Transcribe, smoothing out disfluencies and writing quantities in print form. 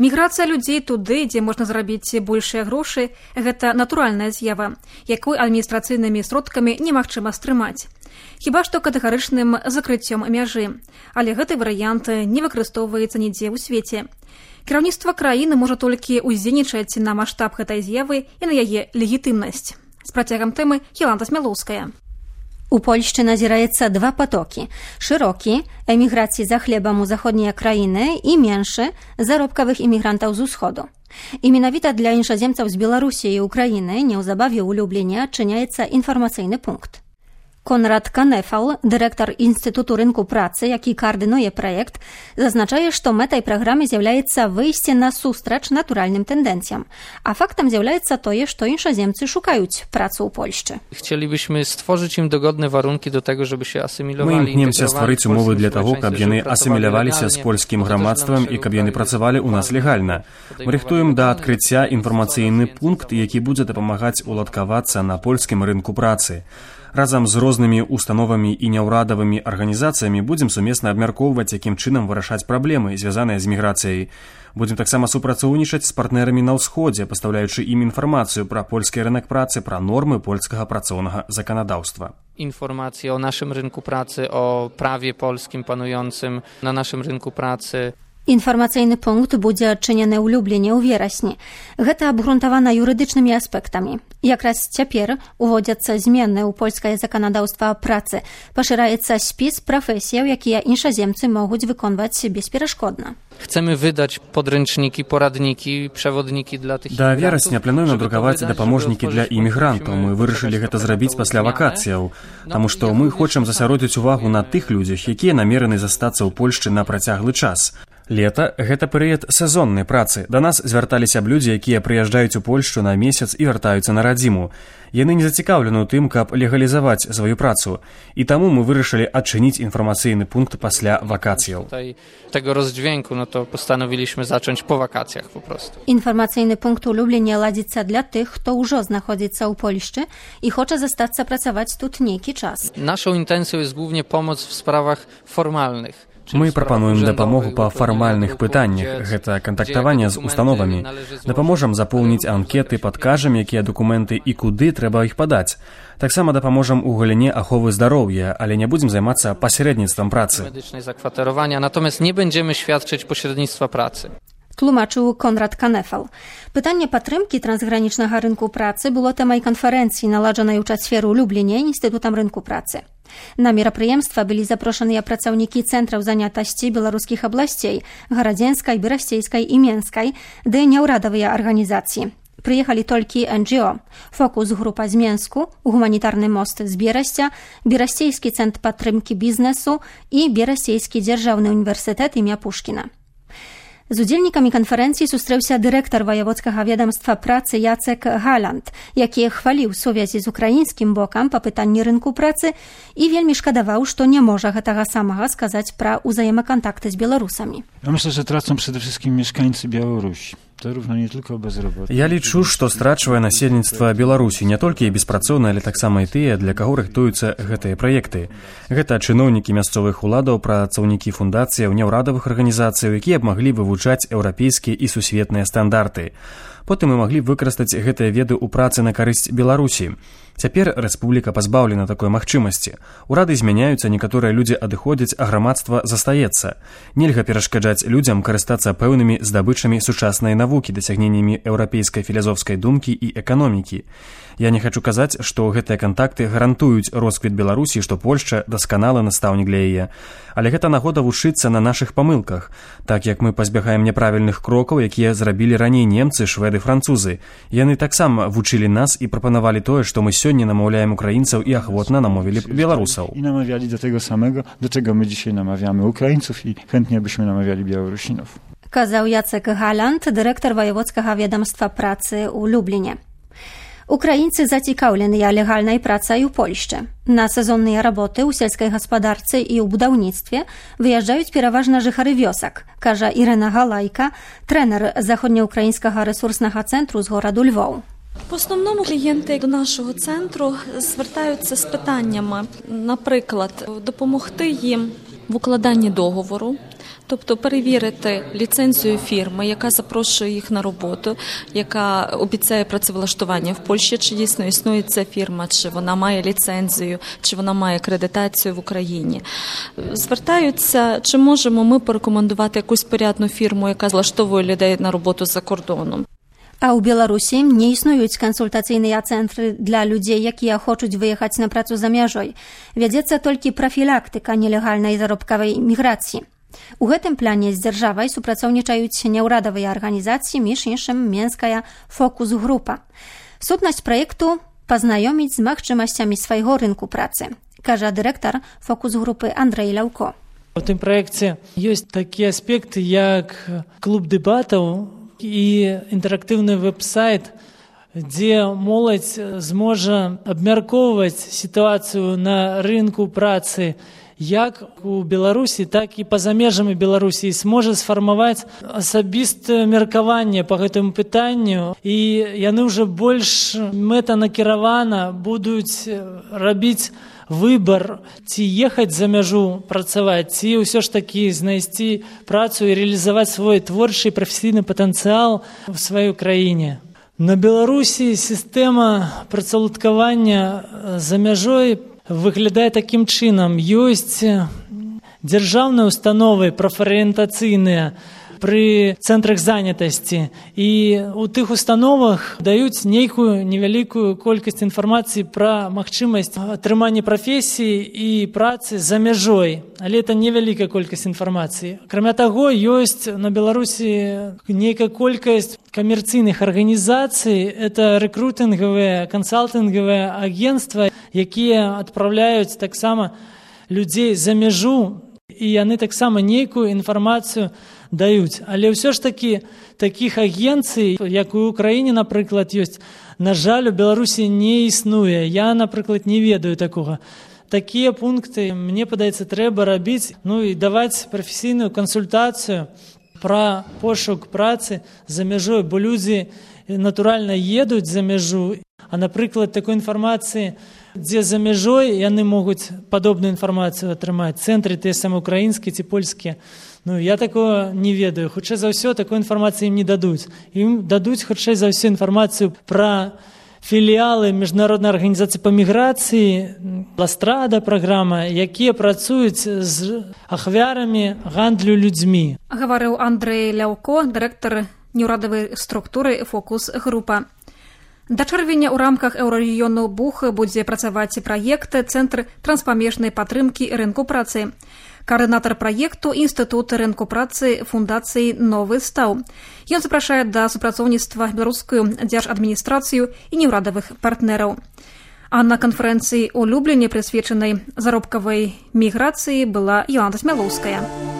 Міграцыя людзей туды, дзе можна зарабіць большыя грошы, гэта натуральная з'ява, якой адміністрацыйнымі сродкамі немагчыма стрымаць. Хіба што катэгарычным закрыццём мяжы. Але гэты варыянт не выкарыстоўваецца нідзе ў свеце. Кіраўніцтва краіны можа толькі ўздзейнічаць на маштаб гэтай з'явы і на яе легітымнасць. З працягам тэмы Яланта Смялоўская. У Польшчы назіраецца два потокі. Шырокі – эміграцыі за хлебам у заходнія краіны і меншы – заробкавых імігрантаў з усходу. І менавіта для іншаземцаў з Беларусі і Украіны неўзабаве ў Любліні адчыняецца інфармацыйны пункт. Конрад Канефал, дырэктар Інстытуту рынку працы, які каардынуе праект, зазначае, што мэтай праграмы з'яўляецца выйсце насустрач натуральным тэндэнцыям, а фактам з'яўляецца тое, што іншаземцы шукаюць працу ў Польшчы. Chcielibyśmy stworzyć im dogodne warunki do tego, żeby się asymilowali. Мы імкнемся стварыць умовы для таго, каб яны асіміляваліся з польскім грамадствам і каб яны працавалі ў нас легальна. Мы рыхтуем да адкрыцця інфармацыйны пункт, які будзе дапамагаць уладкавацца на польскім рынку працы. Разам з рознымі установамі і няўрадавымі арганізацыямі будзем сумесна абмяркоўваць, якім чынам вырашаць праблемы, звязаныя з міграцыяй. Будзем таксама супрацоўнічаць з партнерамі на ўсходзе, пастаўляючы ім інфармацыю пра польскі рынок працы, пра нормы польскага працоўнага заканадаўства. Informacje o naszym rynku pracy, o prawie polskim panującym na naszym rynku pracy. Інфармацыйны пункт будзе адчынены ў Любліні ў верасні. Гэта абгрунтавана юрыдычнымі аспектамі. Якраз цяпер уводзяцца змены ў польскае заканадаўства працы. Пашыраецца спіс прафесіяў, якія іншаземцы могуць выконваць безперашкодна. Chcemy wydać podręczniki, poradniki, przewodniki dla tych Да верасня плануем надрукаваць дапаможнікі для імігрантаў. Мы вырашылі гэта зрабіць пасля вакацыяў, таму што мы хочам засяродзіць увагу на тых людзях, якія намерены застацца ў Польшчы на працяглы час. Лета – гэта перыяд сезоннай працы. Да нас звярталіся б людзі, якія прыязджаюць у Польшчу на месяц і вяртаюцца на радзіму. Яны не зацікаўлены ў тым, каб легалізаваць сваю працу. І таму мы вырашылі адчыніць інфармацыйны пункт пасля вакацыяў. Tego rozdźwięku, no to postanowiliśmy zacząć po wakacjach po prostu. Інфармацыйны пункт у Любліні ладзіцца для тых, хто ўжо знаходзіцца ў Польшчы і хоча застацца працаваць тут нейкі час. Naszą intencją jest głównie pomoc w sprawach formalnych. Мы прапануем дапамогу па фармальных пытаннях. Гэта кантактаванне з установамі. Дапаможам запоўніць анкеты, падкажам, якія дакументы і куды трэба іх падаць. Таксама дапаможам у галіне аховы здароўя, але не будзем займацца пасярэдніцтвам працы. Медычнай закватаrowania, natomiast nie będziemy świadczyć pośrednictwa pracy. Тлумачыў Конрад Канефал. Пытанне падтрымкі трансгранічнага рынку працы было тэмай канферэнцыі, наладжанай у чацвер у Любліні Інстытутам рынку працы. На мерапрыемства былі запрошаныя працаўнікі цэнтраў занятасці беларускіх абласцей – Гарадзенскай, Берасцейскай і Менскай, ды няўрадавыя арганізацыі. Прыехалі толькі НГО. Фокус-група з Менску, гуманітарны мост з Берасця, Берасцейскі цэнтр падтрымкі бізнесу і Берасцейскі дзяржаўны універсітэт імя Пушкіна. З удзельнікамі канферэнцыі сустрэўся дырэктар ваяводскага ведамства працы Яцек Галанд, які хваліў сувязі з украінскім бокам па пытанні рынку працы і вельмі шкадаваў, што не можа гэтага самага сказаць пра ўзаемакантакты з беларусамі. Ja myślę, że tracą przede wszystkim mieszkańcy Białorusi. To równo nie tylko bezroboty. Я лічу, што страчвае насельніцтва Беларусі не толькі беспрацоўныя, але таксама і тыя, для каго рыхтуюцца гэтыя праекты. Гэта чыноўнікі мясцовых уладаў, працаўнікі фундацыяў, няўрадавых арганізацыяў, якія б маглі вывучаць еўрапейскія і сусветныя стандарты. Потым мы маглі б выкарыстаць гэтыя веды ў працы на карысць Беларусі. Цяпер рэспубліка пазбаўлена такой магчымасці. Урады змяняюцца, некаторыя людзі адыходзяць, а грамадства застаецца. Нельга перашкаджаць людзям карыстацца пэўнымі здабычамі сучаснай навукі, дасягненнямі еўрапейскай філасофскай думкі і эканомікі. Я не хачу казаць, што гэтыя кантакты гарантуюць росквіт Беларусі, што Польшча дасканалы настаўнік для яе. Але гэта нагода вучыцца на нашых памылках, так як мы пазбягаем няправільных крокаў, якія зрабілі раней немцы, шведы, французы. Яны таксама вучылі нас і прапанавалі тое, што мы сёння намаўляем украінцаў і ахвотна намовілі б беларусаў. I namawiali do tego samego, do czego my dzisiaj namawiamy Ukraińców i chętnie byśmy namawiali Białorusinów. Казаў Яцек Галанд, дырэктар ваяводскага ведамства працы ў Любліні. Украінцы зацікаўленыя легальнай працай у Польшчы. На сезонныя работы ў сельскай гаспадарцы і ў будаўніцтве выязджаюць пераважна жыхары вёсак, кажа Ірэна Галайка, трэнер заходньоукраїнського ресурсного центру з городу Львов. В основному клієнти до нашого центру звертаються з питаннями, наприклад, допомогти їм в укладанні договору, Тобто перевірити ліцензію фірми, яка запрошує їх на роботу, яка обіцяє працевлаштування в Польщі, чи дійсно існує ця фірма, чи вона має ліцензію, чи вона має акредитацію в Україні. Звертаються, чи можемо ми порекомендувати якусь порядну фірму, яка влаштовує людей на роботу за кордоном. А ў Беларусі не існуюць кансультацыйныя цэнтры для людзей, якія хочуць выехаць на працу за мяжой. Вядзецца толькі прафілактыка нелегальнай заробкавай міграцыі. У гэтым плане з дзяржавай супрацоўнічаюць няўрадавыя арганізацыі, між іншым менская фокус-група. Сутнасць праекту – пазнаёміць з магчымасцямі свайго рынку працы, кажа дырэктар фокус-групы Андрэй Ляўко. У тым праекце ёсць такія аспекты, як клуб дэбатаў і інтэрактыўны вэб-сайт, дзе моладзь зможа абмяркоўваць сітуацыю на рынку працы як у Беларусі, так і па-за межамі Беларусі, і зможа сфармаваць асабістае меркаванне па гэтаму пытанню, і яны ўжо больш мэтанакіравана будуць рабіць выбор, ці ехаць за мяжу працаваць, ці ўсё ж такі знайсці працу і рэалізаваць свой творчы і прафесійны патэнцыял у сваёй краіне. На Беларусі сістэма працаўладкавання за мяжой выглядае такім чынам. Ёсць дзяржаўныя установы прафарыентацыйныя пры цэнтрах занятасці, і ў тых установах даюць нейкую невялікую колькасць інфармацыі пра магчымасць атрымання прафесіі і працы за мяжой, але это невялікая колькасць інфармацыі. Акрамя таго, ёсць на Беларусі нейкая колькасць камерцыйных арганізацый, это рэкрутынгавыя, кансалтынгавыя агенцтва, якія адпраўляюць таксама людзей за мяжу, і яны таксама нейкую інфармацыю даюць. Але ўсё ж такі такіх агенцый, як у Украіне, напрыклад, ёсць, на жаль, у Беларусі не існуе. Я, напрыклад, не ведаю такога. Такія пункты, мне падаецца, трэба рабіць, і даваць прафесійную кансультацыю пра пошук працы за мяжой, бо людзі натуральна едуць за мяжу, а, напрыклад, такой інфармацыі, дзе за мяжой яны могуць падобную інфармацыю атрымаць, цэнтры тыя самыя украінскія ці польскія. Я такого не ведаю. Хутчэй за ўсё такой інфармацыі ім не дадуць. Ім дадуць хутчэй за ўсё інфармацыю пра філіялы міжнароднай арганізацыі па міграцыі, Ластрада праграма, якія працуюць з ахвярамі гандлю людзьмі. Гаварыў Андрэй Ляўко, дырэктар неўрадавай структуры «Фокус-група». Да чэрвеня ў рамках еўрарэгіёну БУХ будзе працаваць праект «Цэнтр транспамежнай падтрымкі рынку працы». Координатор проекту Институт рынку працы фундацыі «Новы стаў». Ён запрашае да супрацоўніцтва беларускую дзяржадміністрацыю і неўрадавых партнераў. А на канферэнцыі ў Любліне, прысвечанай заробкавай міграцыі, была Йоланда Смялоўская.